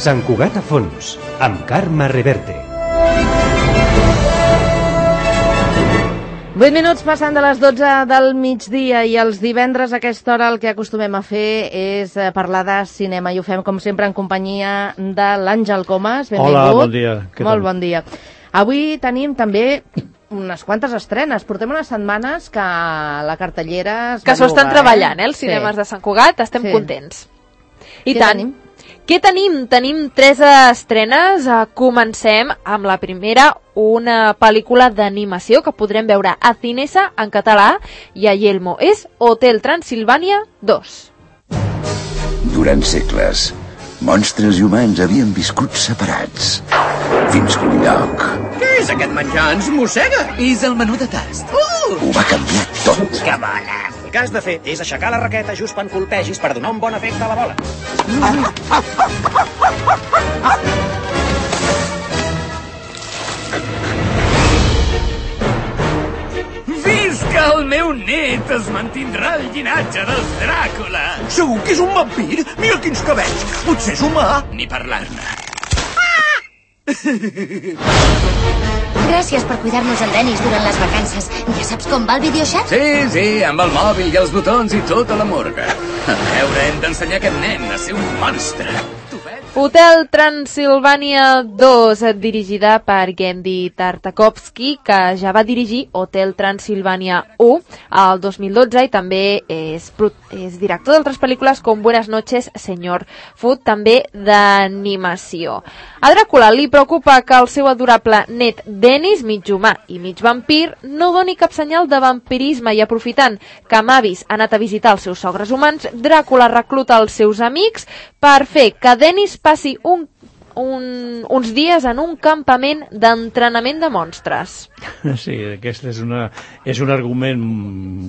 Sant Cugat a fons, amb Carme Reverte. 8 minuts passant de les 12 del migdia i els divendres a aquesta hora el que acostumem a fer és parlar de cinema i ho fem com sempre en companyia de l'Àngel Comas. Benvingut. Hola, bon dia. Molt bon dia. Avui tenim també unes quantes estrenes. Portem unes setmanes que la cartellera es que s'ho estan treballant, els cinemes de Sant Cugat, estem contents. I tant. Tenim? Què tenim? Tenim 3 estrenes. Comencem amb la primera, una pel·lícula d'animació que podrem veure a Cinesa en català i a Yelmo. És Hotel Transilvània 2. Durant segles, monstres i humans havien viscut separats. Fins que un lloc... Què és aquest menjar? Ens mossega! És el menú de tast. Ho va canviar tot. Que bona! El que has de fer és aixecar la raqueta just quan colpegis per donar un bon efecte a la bola. Visca el meu net! Es mantindrà el llinatge dels Dràcula! Segur que és un vampir? Mira quins cabells! Potser és humà! Ni parlar-ne. Gràcies per cuidar-nos el Dennis durant les vacances. Ja saps com va el videoxat? Sí, amb el mòbil i els botons i tota la morga. A veure, hem d'ensenyar aquest nen a ser un monstre. Hotel Transilvània 2, dirigida per Genndy Tartakovsky, que ja va dirigir Hotel Transilvània 1 al 2012 i també és director d'altres pel·lícules com Buenas noches, Señor Food, també d'animació. A Dràcula li preocupa que el seu adorable net Dennis, mig humà i mig vampir, no doni cap senyal de vampirisme i aprofitant que Mavis ha anat a visitar els seus sogres humans, Dràcula recluta els seus amics per fer que Dennis passi uns dies en un campament d'entrenament de monstres. Sí, aquest és un argument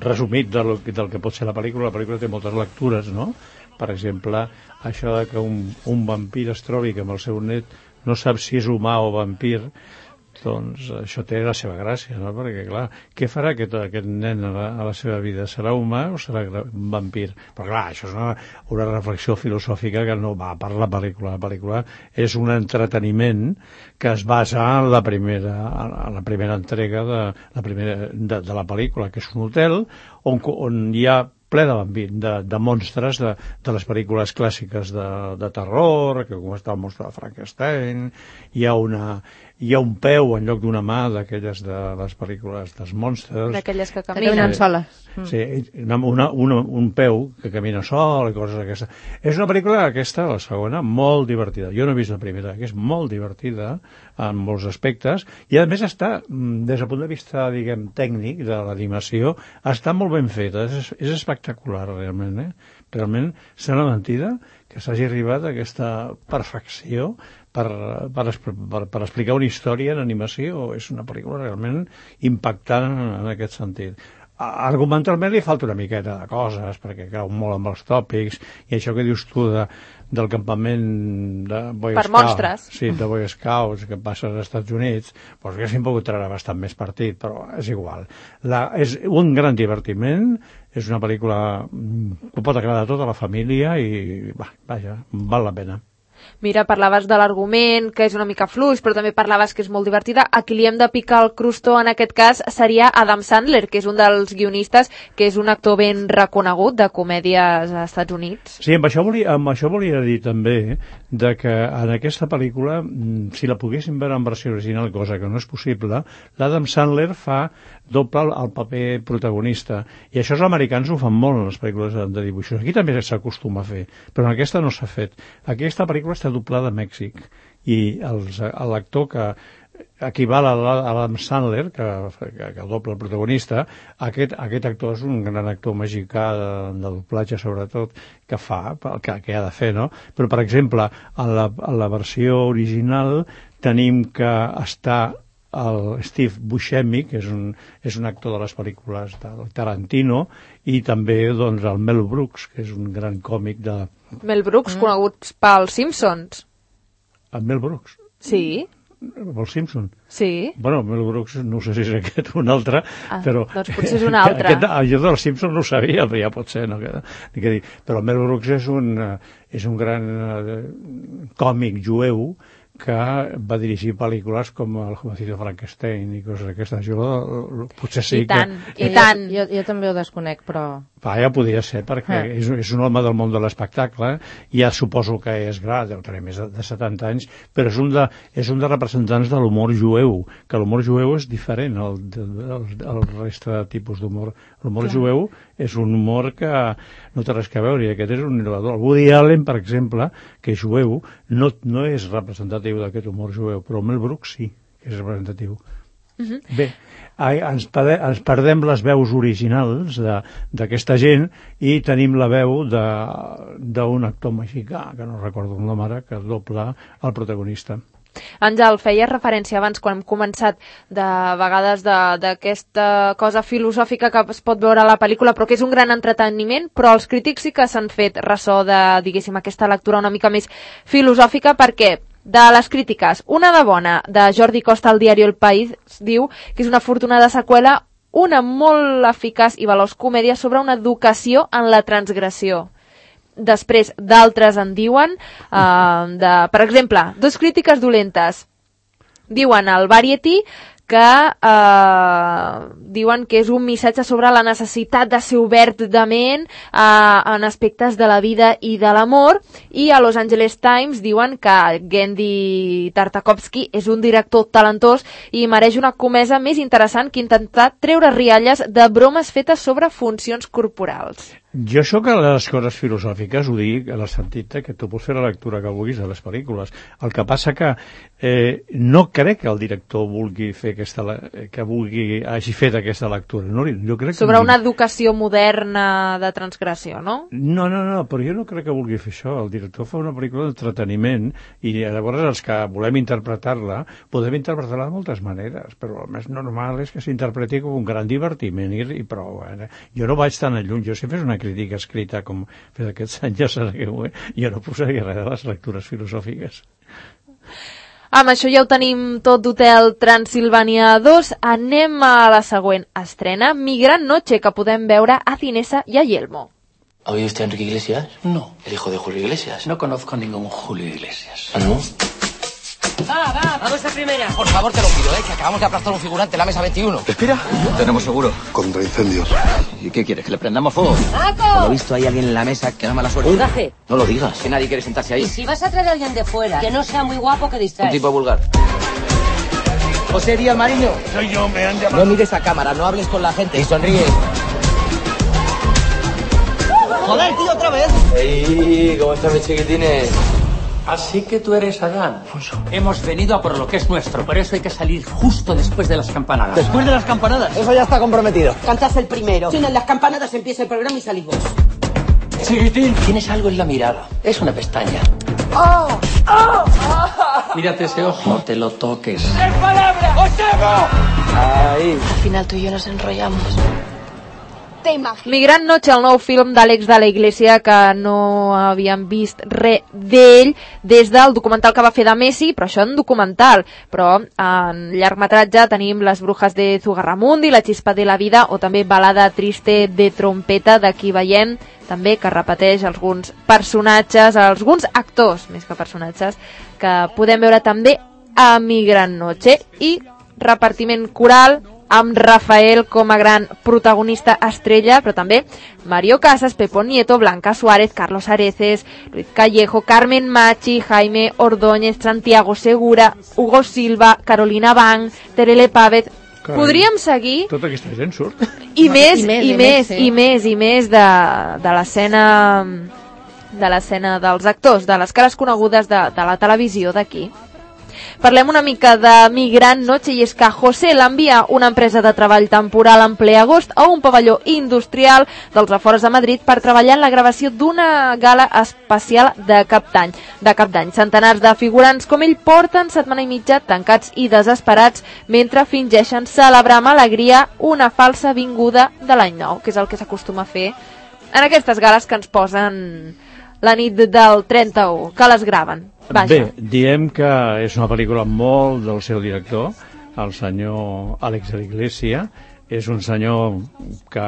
resumit del que pot ser la pel·lícula. La pel·lícula té moltes lectures, no? Per exemple, això de que un vampir es trobi que amb el seu net no sap si és humà o vampir, doncs això té la seva gràcia, no? Perquè, clar, què farà aquest nen a la seva vida? Serà humà o serà un vampir? Però, clar, això és una reflexió filosòfica que no va per la pel·lícula. La pel·lícula és un entreteniment que es basa en la primera entrega de la pel·lícula, que és un hotel on hi ha ple de monstres de les pel·lícules clàssiques de terror, que com està el monstre de Frankenstein, hi ha un peu en lloc d'una mà d'aquelles de les pel·lícules dels monstres. D'aquelles que caminen soles. Sí, un peu que camina sol i coses d'aquestes. És una pel·lícula aquesta, la segona, molt divertida. Jo no he vist la primera, que és molt divertida en molts aspectes i a més està, des del punt de vista, diguem, tècnic de l'animació, està molt ben feta. És espectacular, realment. Realment, sembla mentida que s'hagi arribat a aquesta perfecció per explicar una història en animació. És una pel·lícula realment impactant en aquest sentit. Argumentalment li falta una miqueta de coses, perquè cau molt amb els tòpics, i això que dius tu del campament de Boy Scouts, monstres. Sí, de Boy Scouts, que passa als Estats Units, doncs haguéssim pogut treure bastant més partit, però és igual. És un gran divertiment, és una pel·lícula que pot agradar a tota la família i, vaja, val la pena. Mira, parlaves de l'argument, que és una mica fluix, però també parlaves que és molt divertida. A qui li hem de picar el crostó en aquest cas seria Adam Sandler, que és un dels guionistes, que és un actor ben reconegut de comèdies als Estats Units. Sí, amb això volia dir també de que en aquesta pel·lícula, si la poguéssim veure en versió original, cosa que no és possible, l'Adam Sandler fa doble el paper protagonista. I això els americans ho fan molt en les pel·lícules de dibuixos. Aquí també s'acostuma a fer, però en aquesta no s'ha fet. Aquesta pel·lícula està doblada a Mèxic i l'actor que equival a l'Adam Sandler, que dobla el protagonista, aquest actor és un gran actor mexicà de doblatge, sobretot, que fa el que ha de fer, no? Però, per exemple, en la versió original tenim que està el Steve Buscemi, que és un actor de les pel·lícules del Tarantino, i també doncs, el Mel Brooks, que és un gran còmic de... Mel Brooks, coneguts pels Simpsons. El Mel Brooks? Sí. Els Simpson? Sí. Bueno, Mel Brooks, no sé si és aquest o un altre, però... Doncs potser és un altre. Jo dels Simpson no ho sabia, però ja pot ser, no? Però Mel Brooks és un gran còmic jueu que va dirigir pel·lícules com El Jovencito Frankenstein i coses d'aquestes. Jo potser sí I tant, que... i tant. Jo també ho desconec, però... Ja podria ser, perquè és un home del món de l'espectacle, ja suposo que és gran, deu tenir més de 70 anys, però és un de representants de l'humor jueu, que l'humor jueu és diferent al reste de tipus d'humor. L'humor jueu és un humor que no té res a veure, i aquest és un innovador. Woody Allen, per exemple, que és jueu, no és representatiu d'aquest humor jueu, però Mel Brooks sí que és representatiu. Bé, ens perdem les veus originals d'aquesta gent i tenim la veu d'un actor mexicà, que no recordo el nom ara, que dobla el protagonista. Àngel, feies referència abans quan hem començat de vegades d'aquesta cosa filosòfica que es pot veure a la pel·lícula, però que és un gran entreteniment, però els crítics sí que s'han fet ressò de, diguéssim, aquesta lectura una mica més filosòfica, perquè de les crítiques, una de bona de Jordi Costa al diari El País diu que és una afortunada seqüela, una molt eficaç i veloç comèdia sobre una educació en la transgressió. Després, d'altres en diuen, per exemple, dos crítiques dolentes. Diuen al Variety que diuen que és un missatge sobre la necessitat de ser obert de ment en aspectes de la vida i de l'amor, i a Los Angeles Times diuen que Genndy Tartakovsky és un director talentós i mereix una comesa més interessant que intentar treure rialles de bromes fetes sobre funcions corporals. Jo això que les coses filosòfiques ho dic en el sentit que tu pots fer la lectura que vulguis de les pel·lícules. El que passa que no crec que el director vulgui fer hagi fet aquesta lectura. No, jo crec sobre una educació moderna de transgressió, no? No, però jo no crec que vulgui fer això. El director fa una pel·lícula d'entreteniment i llavors els que volem interpretar-la podem interpretar-la de moltes maneres, però el més normal és que s'interpreti com un gran divertiment i prou. Jo no vaig tan lluny, jo si fes una crítica escrita com fer d'aquests anys ja serà que jo no posaria res de les lectures filosòfiques. Amb això ja ho tenim tot d'Hotel Transilvània 2. Anem a la següent estrena, Migrant Noche, que podem veure a Cinesa i a Yelmo. ¿Ha oído usted a Enrique Iglesias? No. ¿El hijo de Julio Iglesias? No conozco ningún Julio Iglesias. ¿Ah, no? Vamos a primera. Por favor, te lo pido, que acabamos de aplastar un figurante en la mesa 21. Espera. ¿Tenemos seguro? Contra incendios. ¿Y qué quieres? ¿Que le prendamos fuego? ¡Paco! Por lo visto hay alguien en la mesa que da mala suerte. Un gaje. No lo digas, que nadie quiere sentarse ahí. Y si vas a traer a alguien de fuera, que no sea muy guapo, que distrae. Un tipo vulgar. José Díaz Mariño. Soy yo, me han llamado. No mires a cámara, no hables con la gente y sonríe. ¡Joder, tío, otra vez! ¡Ey! ¿Cómo están mis chiquitines? Así que tú eres Adán. Hemos venido a por lo que es nuestro, por eso hay que salir justo después de las campanadas. ¿Después de las campanadas? Eso ya está comprometido. Cantad el primero. Suenan las campanadas, empieza el programa y salís vos. Chiquitín, tienes algo en la mirada. Es una pestaña. ¡Oh! ¡Oh! Mírate ese ojo. No te lo toques. ¡Es palabra! ¡Osego! Ahí. Al final tú y yo nos enrollamos. Migrant Noche, el nou film d'Àlex de la Iglesia, que no havíem vist res d'ell des del documental que va fer de Messi, però això en documental. Però en llargmetratge tenim Les brujas de Zugarramundi, La chispa de la vida, o també Balada triste de trompeta, d'aquí veiem també que repeteix alguns personatges, alguns actors, més que personatges, que podem veure també a Migrant Noche. I repartiment coral, amb Rafael com a gran protagonista estrella, però també Mario Casas, Pepo Nieto, Blanca Suárez, Carlos Areces, Luis Callejo, Carmen Machi, Jaime Ordóñez, Santiago Segura, Hugo Silva, Carolina Bang, Terele Pávez. Carai, podríem seguir... Tota aquesta gent surt. I més de l'escena dels actors, de les cares conegudes de la televisió d'aquí. Parlem una mica de Migrant Noche, i és que José l'envia una empresa de treball temporal en ple agost a un pavelló industrial dels afores de Madrid per treballar en la gravació d'una gala especial de cap d'any. Centenars de figurants com ell porten setmana i mitja tancats i desesperats mentre fingeixen celebrar amb alegria una falsa vinguda de l'any nou, que és el que s'acostuma a fer en aquestes gales que ens posen la nit del 31, que les graven. Bé, diem que és una pel·lícula molt del seu director, el senyor Àlex de la Iglesia. És un senyor que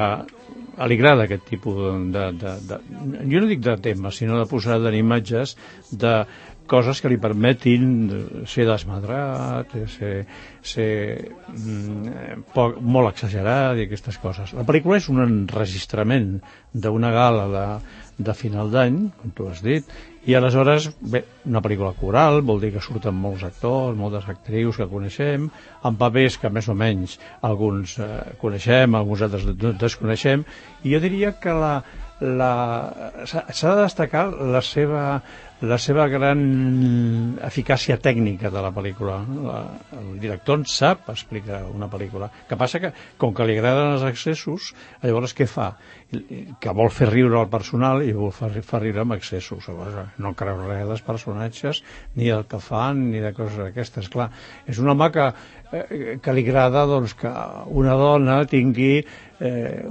li agrada aquest tipus jo no dic de temes, sinó de posar d'imatges de coses que li permetin ser desmadrat, ser molt exagerat i aquestes coses. La pel·lícula és un enregistrament d'una gala de final d'any, com tu has dit, i aleshores, bé, una pel·lícula coral, vol dir que surten molts actors, moltes actrius que coneixem, en papers que més o menys alguns coneixem, alguns altres desconeixem, i jo diria que s'ha de destacar la seva gran eficàcia tècnica de la pel·lícula. El director en sap explicar una pel·lícula. Que passa que, com que li agraden els excessos, llavors què fa? Que vol fer riure el personal i vol fer riure amb excessos. Llavors, no creu res dels personatges, ni del que fan, ni de coses d'aquestes. Clar, és un home que li agrada doncs, que una dona tingui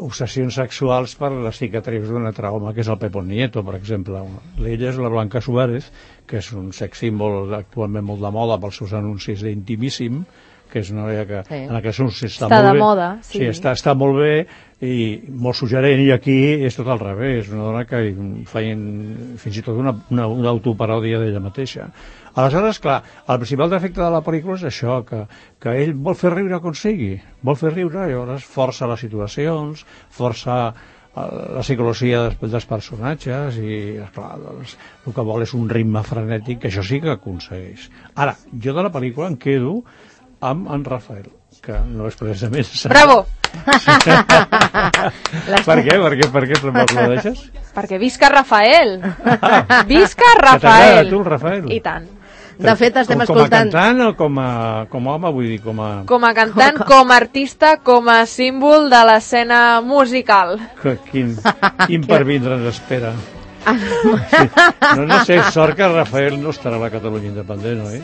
obsessions sexuals per les cicatrius d'un altre home, que és el Pepo Nieto, per exemple. Ella és la Blanca Suárez, que és un sex símbol actualment molt de moda pels seus anuncis d'Intimíssim, que és una noia que en aquests anuncis està molt bé. Està de moda, sí. Sí, està molt bé i molt suggerent, i aquí és tot al revés, una dona que feien fins i tot una autoparòdia d'ella mateixa. Aleshores, clar, el principal defecte de la pel·lícula és això, que ell vol fer riure com sigui, vol fer riure, i llavors força les situacions, força la psicologia dels personatges, i esclar, doncs, el que vol és un ritme frenètic, que això sí que aconsegueix. Ara, jo de la pel·lícula em quedo amb en Rafael, que no és precisament... Bravo! Per què? Per què la deixes? Perquè visca Rafael! Visca Rafael! Que t'agrada a tu el Rafael? I tant. De fet, estem escoltant... Com a cantant o com a home, vull dir, com a... Com a cantant, com a artista, com a símbol de l'escena musical. Quin per vindre ens espera. No sé, sort que Rafael no estarà a la Catalunya independent, oi?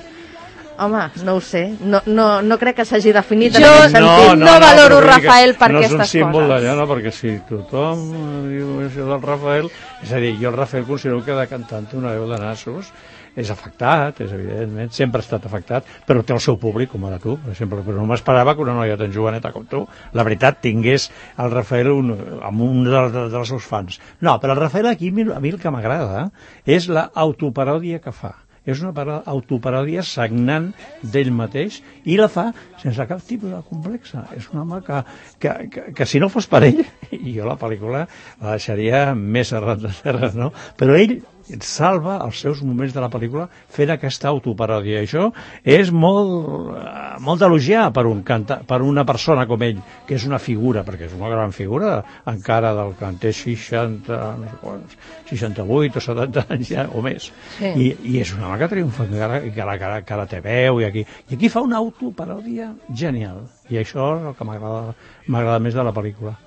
Home, no ho sé. No crec que s'hagi definit en aquest sentit. No valoro Rafael per aquestes coses. No és un símbol d'allà, no? Perquè si tothom diu això del Rafael... És a dir, jo el Rafael considero que de cantant té una veu de nassos, és afectat, és evidentment, sempre ha estat afectat, però té el seu públic, com ara tu, per exemple, però no m'esperava que una noia tan joveneta com tu, la veritat, tingués el Rafael amb un dels seus fans. No, però el Rafael aquí, a mi el que m'agrada és l'autoparòdia que fa. És una autoparòdia sagnant d'ell mateix, i la fa sense cap tipus de complexa. És un home que si no fos per ell, jo la pel·lícula la deixaria més arran de terra, no? Però ell salva els seus moments de la pel·lícula fent aquesta autoparòdia. Això és molt d'elogiar per una persona com ell, que és una figura, perquè és una gran figura, encara del que en té 60, no sé quants, 68 o 70 anys ja, o més. Sí. I és un home que triomfa, que la té veu, i aquí fa una autoparòdia genial. I això és el que m'agrada més de la pel·lícula.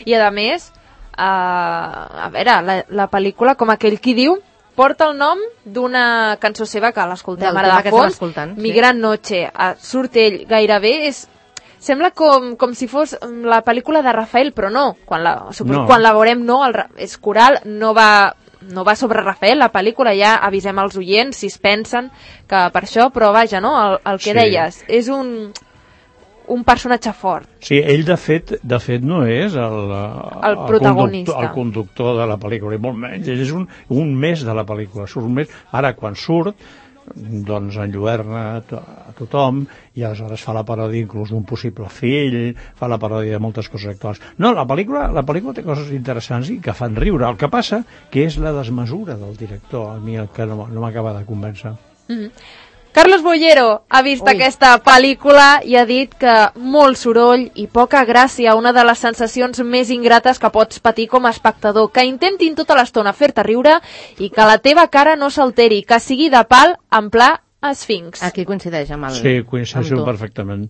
I a més, a veure, la pel·lícula, com aquell qui diu, porta el nom d'una cançó seva que l'escoltem ara de fons, Mi gran noche. Surt ell gairebé, sembla com si fos la pel·lícula de Rafael, però no, quan la veurem no, és coral, no va sobre Rafael la pel·lícula, ja avisem als oients si es pensen que per això, però vaja, no, el que deies, és un personatge fort. Sí, ell de fet no és el protagonista, el conductor de la pel·lícula, i molt menys, ell és un més de la pel·lícula, surt més. Ara, quan surt, doncs enlluerna a tothom, i aleshores fa la paròdia inclús d'un possible fill, fa la paròdia de moltes coses actuals. No, la pel·lícula té coses interessants i que fan riure. El que passa que és la desmesura del director, a mi el que no m'acaba de convèncer. Carlos Bollero ha vist aquesta pel·lícula i ha dit que molt soroll i poca gràcia, una de les sensacions més ingrates que pots patir com a espectador, que intentin tota l'estona fer-te riure i que la teva cara no s'alteri, que sigui de pal en pla esfinx. Aquí coincideix amb el... Sí, coincideixo perfectament.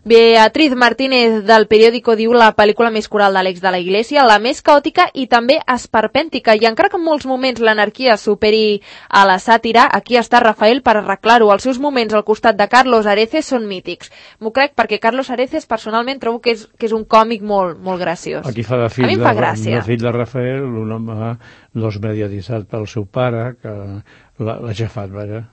Beatriz Martínez del periòdico diu la pel·lícula més coral d'Àlex de la Iglesia, la més caòtica i també esperpèntica, i encara que en molts moments l'anarquia superi a la sàtira, aquí està Rafael per arreglar-ho. Els seus moments al costat de Carlos Areces són mítics. M'ho crec perquè Carlos Areces personalment trobo que és un còmic molt graciós. Aquí fa de fill, a mi em fa gràcia. De fill de Rafael, un home mediatitzat pel seu pare, que l'ha xafat, vaja.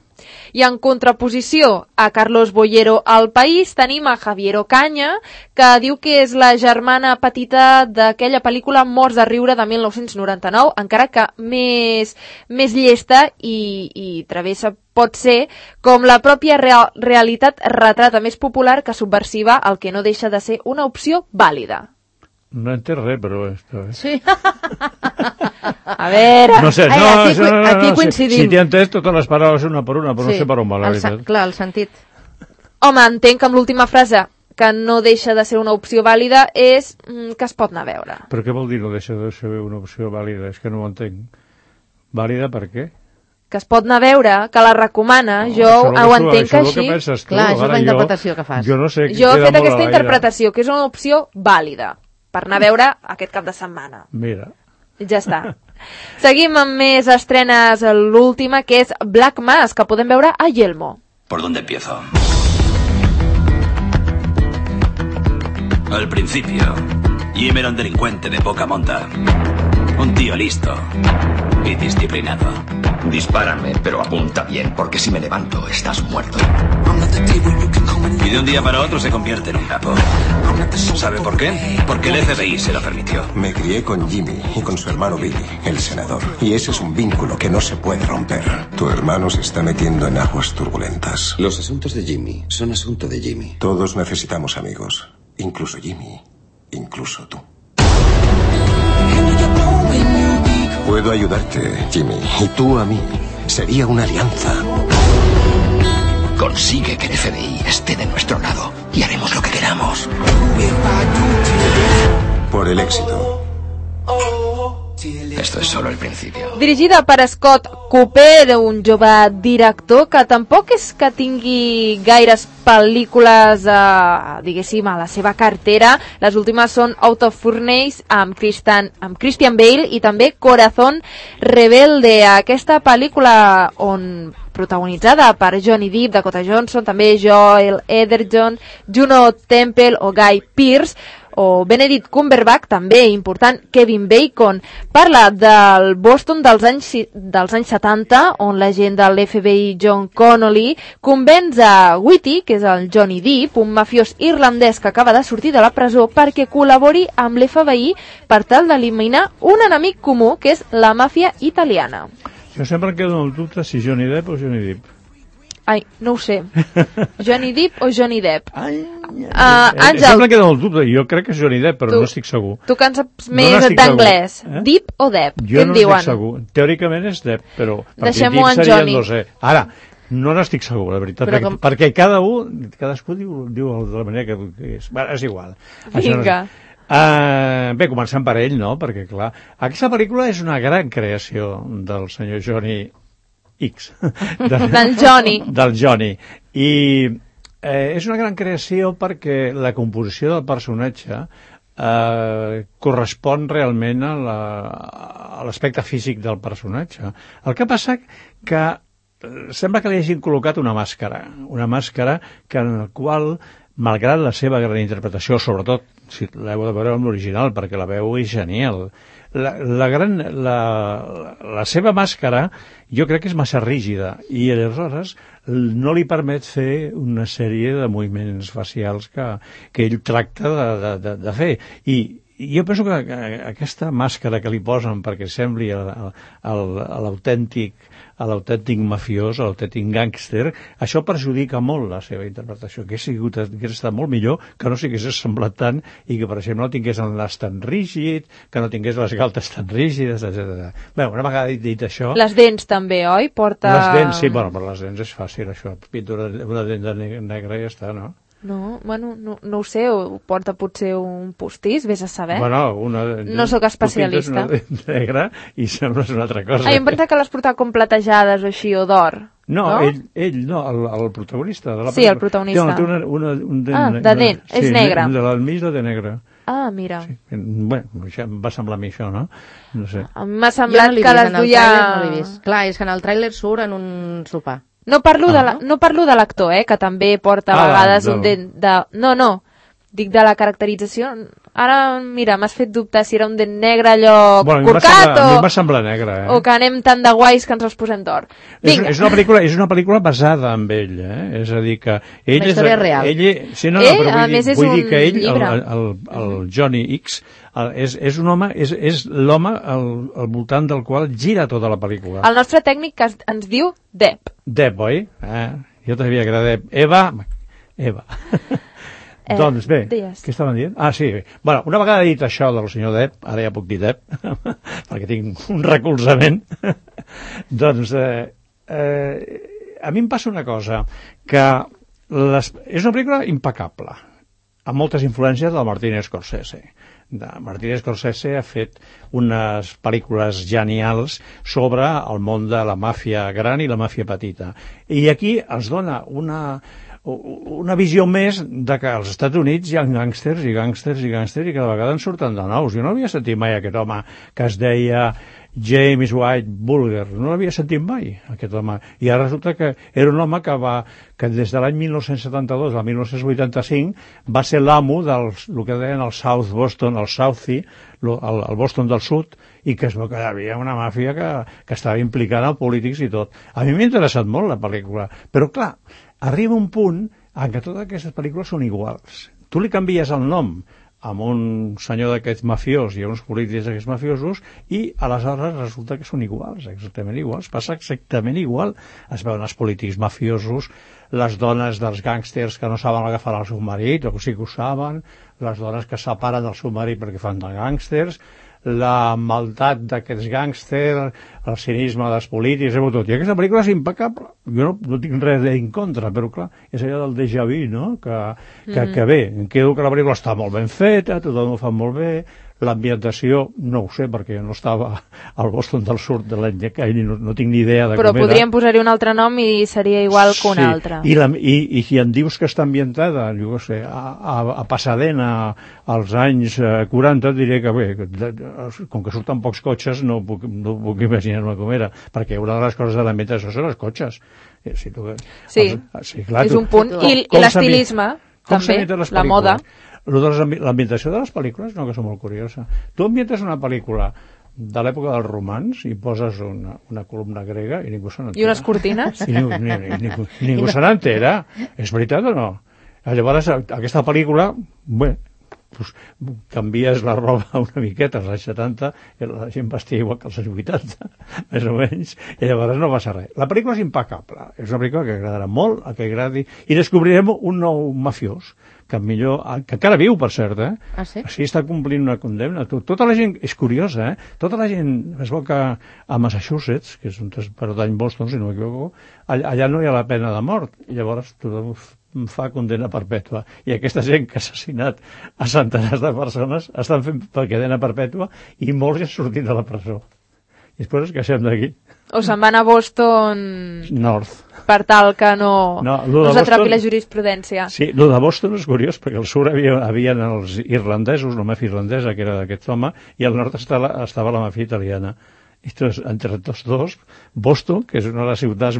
I en contraposició a Carlos Bollero al País tenim a Javier Ocaña, que diu que és la germana petita d'aquella pel·lícula Morts de riure de 1999, encara que més llesta i travessa pot ser com la pròpia realitat retrata més popular que subversiva, el que no deixa de ser una opció vàlida. No he entès res, però esto, Sí. A veure... No sé, aquí coincidim. Si t'hi he entès totes les paraules una per una, però no sé per on va, la veritat. Clar, el sentit. Home, entenc que amb l'última frase, que no deixa de ser una opció vàlida, és que es pot anar a veure. Però què vol dir no deixa de ser una opció vàlida? És que no ho entenc. Vàlida per què? Que es pot anar a veure, que la recomana, jo ho entenc així. Clar, això és la interpretació que fas. Jo no sé. Jo he fet aquesta interpretació, que és una opció vàlida, per anar a veure aquest cap de setmana. Mira. Ja està. Seguim amb més estrenes, l'última, que és Black Mass, que podem veure a Yelmo. ¿Por dónde empiezo? Al principio, Jim era un delincuente de poca monta. Un tío listo y disciplinado. Dispárame, pero apunta bien, porque si me levanto, estás muerto. Y de un día para otro se convierte en un capo. ¿Sabe por qué? Porque el FBI se lo permitió. Me crié con Jimmy y con su hermano Billy, el senador. Y ese es un vínculo que no se puede romper. Tu hermano se está metiendo en aguas turbulentas. Los asuntos de Jimmy son asunto de Jimmy. Todos necesitamos amigos. Incluso Jimmy. Incluso tú. Puedo ayudarte, Jimmy. Y tú a mí. Sería una alianza. Consigue que el FBI esté de nuestro lado y haremos lo que queramos. Por el éxito. Esto es solo el principio. Dirigida per Scott Cooper, un jove director que tampoc és que tingui gaires pel·lícules, diguéssim, a la seva cartera. Les últimes són Out of Furnace amb Christian Bale i també Corazón Rebelde. Aquesta pel·lícula protagonitzada per Johnny Depp, Dakota Johnson, també Joel Edgerton, Juno Temple o Guy Pearce, o Benedict Cumberbatch, també important, Kevin Bacon. Parla del Boston dels anys 70, on l'agent de l'FBI John Connolly convenç a Whitty, que és el Johnny Depp, un mafiós irlandès que acaba de sortir de la presó, perquè col·labori amb l'FBI per tal d'eliminar un enemic comú, que és la màfia italiana. Jo sempre em quedo amb el dubte si Johnny Depp o Johnny Depp. Ai, no ho sé. Johnny Depp o Johnny Depp? Àngel... Sempre em quedo amb el dubte. Jo crec que és Johnny Depp, però no estic segur. Tu que en saps més d'anglès. Depp o Depp? Jo no estic segur. Teòricament és Depp, però... Deixem-ho en Johnny. No sé. Ara, no n'estic segur, la veritat, perquè cadascú diu de la manera que és. És igual. Vinga. Bé, començant per ell, no? Perquè, clar, aquesta pel·lícula és una gran creació del senyor Johnny X. Del Johnny. I és una gran creació perquè la composició del personatge correspon realment a l'aspecte físic del personatge. El que passa que sembla que li hagin col·locat una màscara que en la qual, malgrat la seva gran interpretació, sobretot si l'heu de veure amb l'original, perquè la veu és genial, la seva màscara jo crec que és massa rígida i aleshores no li permet fer una sèrie de moviments facials que ell tracta de fer. I jo penso que aquesta màscara que li posen perquè sembli l'autèntic mafiós, l'autèntic gàngster, això perjudica molt la seva interpretació, que hauria estat molt millor que no s'hagués semblat tant i que, per exemple, no tingués el nas tan rígid, que no tingués les galtes tan rígides, etc. Bé, una vegada dit això... Les dents també, oi? Les dents, sí, bueno, per les dents és fàcil, això. Pintura una dent negra i ja està, no? No, bueno, no ho sé, ho porta potser un postís, vés a saber. Bueno, no sóc especialista. Tu pintes una negra i sembles una altra cosa. Em pensa que les portava com platejades o així, o d'or. No, ell no, el protagonista de la pel·lícula. Sí, el protagonista. Té un dent de dent, és negre. De l'almís de negre. Ah, mira. Sí. Bueno, això em va semblar a mi això, no? No sé. M'ha semblat que les duia... No l'he vist. Clar, és que en el tràiler surt en un sopar. No parlo de l'actor, que també porta a vegades un dent de... No, dic de la caracterització. Ara, mira, m'has fet dubtar si era un dent negre allò corcat o... A mi va semblar negre, o que anem tan de guais que ens els posem d'or. És una pel·lícula basada en ell, És a dir que... Una història real. A més és un llibre. El Johnny X és un home, és l'home al voltant del qual gira tota la pel·lícula. El nostre tècnic ens diu Depp. Depp, oi? Jo t'havia agradat Depp. Eva. Doncs bé, què estaven dient? Ah, sí. Bueno, una vegada dit això del senyor Depp, ara ja puc dir Depp, perquè tinc un recolzament, doncs a mi em passa una cosa, que és una pel·lícula impecable, amb moltes influències del Martin Scorsese. Martin Scorsese ha fet unes pel·lícules genials sobre el món de la màfia gran i la màfia petita. I aquí es dona una visió més de que als Estats Units hi ha gàngsters i cada vegada en surten de nous. Jo no havia sentit mai aquest home que es deia James White Bulger, no l'havia sentit mai, aquest home. I ara resulta que era un home que des de l'any 1972 al 1985 va ser l'amo del que deien el South Boston, el Southie, el Boston del Sud, i que es veu que hi havia una màfia que estava implicada en polítics i tot. A mi m'ha interessat molt la pel·lícula, però clar, arriba un punt en què totes aquestes pel·lícules són iguals. Tu li canvies el nom amb un senyor d'aquests mafiós i uns polítics d'aquests mafiosos i aleshores resulta que són iguals, exactament iguals, passa exactament igual. Es veuen els polítics mafiosos, les dones dels gàngsters que no saben agafar el seu marit, o que sí que ho saben, les dones que separen del seu marit perquè fan de gàngsters, la maldat d'aquests gàngsters, el cinisme dels polítics, tot. I aquesta pel·lícula és impecable. Jo no tinc res en contra, però clar, és allò del déjà vu, no? Que bé, em quedo que la pel·lícula està molt ben feta, tothom ho fa molt bé, l'ambientació, no ho sé, perquè no estava al Boston del Sud de l'any aquell, no tinc ni idea de però com era. Però podríem posar-hi un altre nom i seria igual que un altre. I si em dius que està ambientada, jo què sé, a Pasadena als anys 40, et diré que bé, com que surten pocs cotxes, no puc imaginar-me com era, perquè una de les coses de l'ambientació són els cotxes. Sí, és un punt. I l'estilisme, també, la moda. L'ambientació de les pel·lícules és una cosa molt curiosa. Tu ambientes una pel·lícula de l'època dels romans i poses una columna grega i ningú se n'entera. I unes cortines? I ningú se n'entera. És veritat o no? Llavors, aquesta pel·lícula, bé, canvies la roba una miqueta als anys 70 i la gent vestia igual que als anys 80, més o menys, i llavors no passa res. La pel·lícula és impecable, és una pel·lícula que agradarà molt, que agradi, i descobrirem un nou mafiós, que encara viu, per cert, Així està complint una condemna. Tota la gent, és curiosa, tota la gent, es veu que a Massachusetts, que és un pertany Boston, si no m'equivoco, allà no hi ha la pena de mort, i llavors tothom fa condemna perpètua. I aquesta gent que ha assassinat a centenars de persones estan fent per cadena perpètua i molts ja han sortit de la presó. I després es queixem d'aquí. O se'n van a Boston North per tal que no s'atrapi la jurisprudència. Sí, el de Boston és curiós, perquè al sud havien els irlandesos, la màfia irlandesa, que era d'aquest home, i al nord estava la màfia italiana. I entre tots dos, Boston, que és una de les ciutats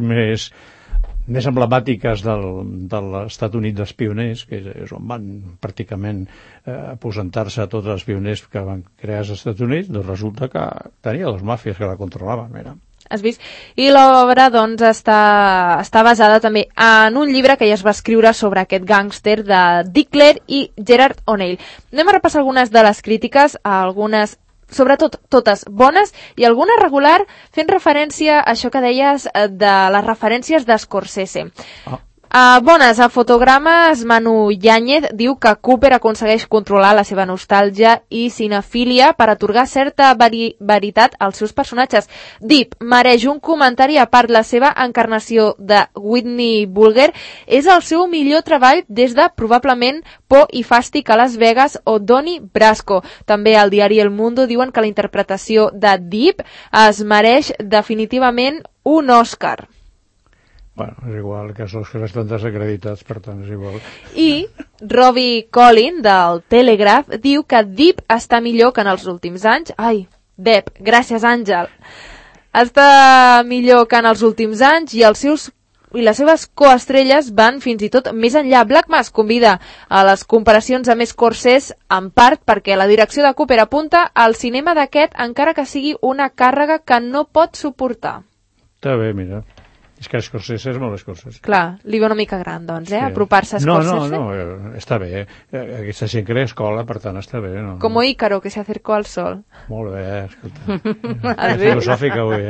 més emblemàtiques de l'Estat Units dels pioners, que és on van pràcticament aposentar-se tots els pioners que van crear els Estats Units, doncs resulta que tenia dos màfies que la controlaven, mira. Has vist? I l'obra, doncs, està basada també en un llibre que ja es va escriure sobre aquest gàngster de Dick Clare i Gerard O'Neill. Anem a repassar algunes de les crítiques, algunes, sobretot totes bones, i alguna regular, fent referència a això que deies de les referències d'Scorsese. Bones, a Fotogrames, Manu Yáñez diu que Cooper aconsegueix controlar la seva nostàlgia i cinefília per atorgar certa veritat als seus personatges. Deep mereix un comentari a part. La seva encarnació de Whitney Bulger és el seu millor treball des de probablement Por i Fàstic a Las Vegas o Donnie Brasco. També al diari El Mundo diuen que la interpretació de Deep es mereix definitivament un Òscar. Bueno, és igual, que els Oscars estan desacreditats, per tant és igual. I Robbie Collin, del Telegraph, diu que Deep està millor que en els últims anys. Ai, Depp, gràcies Àngel. Està millor que en els últims anys i les seves coestrelles van fins i tot més enllà. Black Mass convida a les comparacions amb Scorsese, en part perquè la direcció de Cooper apunta al cinema d'aquest encara que sigui una càrrega que no pot suportar. Està bé, mira. És que Scorsese és molt Scorsese. Clar, li ve una mica gran, doncs, apropar-se a Scorsese. No, està bé. Aquesta gent crea escola, per tant, està bé. No? Com Ícaro, que se acercó al sol. Molt bé, escolta. És filosòfic avui,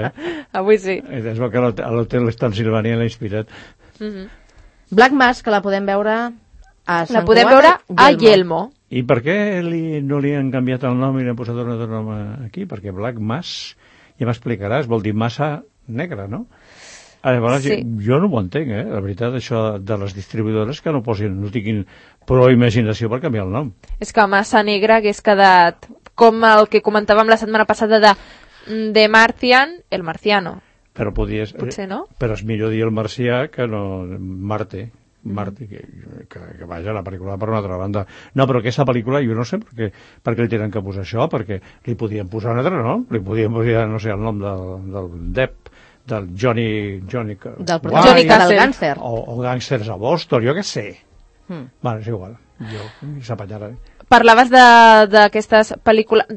Avui sí. És bo que a l'hotel Transilvània l'ha inspirat. Black Mass, que la podem veure a Sant Cugat. La podem veure a Yelmo. I per què no li han canviat el nom i li han posat un altre nom aquí? Perquè Black Mass, ja m'explicaràs, vol dir massa negra, no? Llavors, sí. Jo no ho entenc, la veritat, això de les distribuïdores que no tinguin prou imaginació per canviar el nom. És que massa negra hagués quedat com el que comentàvem la setmana passada de The Martian, el Marciano. Però potser no? Però és millor dir el marcià que no Marte, que vaja, la pel·lícula per una altra banda. No, però aquesta pel·lícula, jo no sé per què li tenen que posar això, perquè li podien posar un altre nom, li podien posar, no sé, el nom del Depp, del Johnny del gàngster o gàngsters a Boston, jo què sé. Bueno, és igual, jo s'apanyaré. Parlaves d'aquesta pel·lícula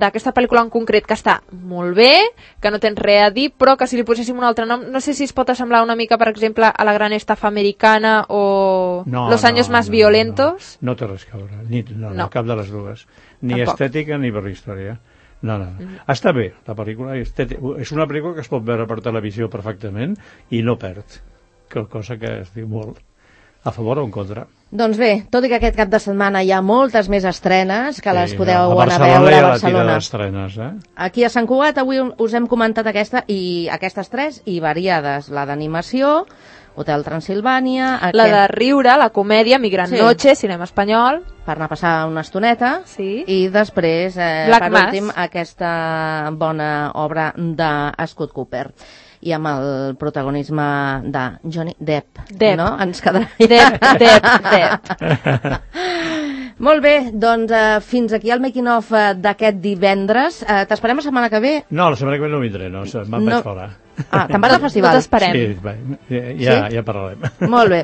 en concret que està molt bé, que no tens res a dir, però que si li poséssim un altre nom, no sé si es pot assemblar una mica, per exemple, a La gran estafa americana o Los años más violentos. No té res a veure, no, cap de les dues, ni estètica ni per història. No. Està bé, la pel·lícula és una pel·lícula que es pot veure per televisió perfectament i no perd, cosa que es diu molt a favor o en contra. Doncs bé, tot i que aquest cap de setmana hi ha moltes més estrenes que les podeu anar a veure a Barcelona. Aquí a Sant Cugat avui us hem comentat aquestes tres i variades, la d'animació, Hotel Transilvània... La de riure, la comèdia, Migrant Noche, cinema espanyol. Per anar a passar una estoneta. Sí. I després, per últim, aquesta bona obra de Scott Cooper. I amb el protagonisme de Johnny Depp. No? Ens quedarà... Depp. Molt bé, doncs fins aquí el making of d'aquest divendres. T'esperem la setmana que ve? No, la setmana que ve no vindré, no, me'n vaig fora. Te'n vas al festival? No t'esperem. Sí, ja parlarem. Molt bé.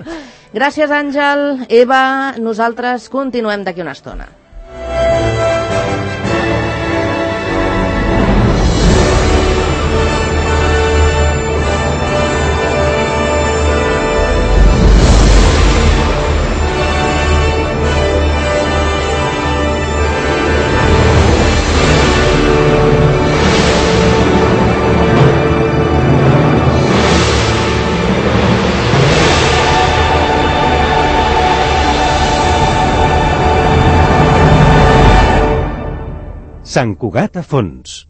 Gràcies, Àngel. Eva, nosaltres continuem d'aquí una estona. Sant Cugat a fons.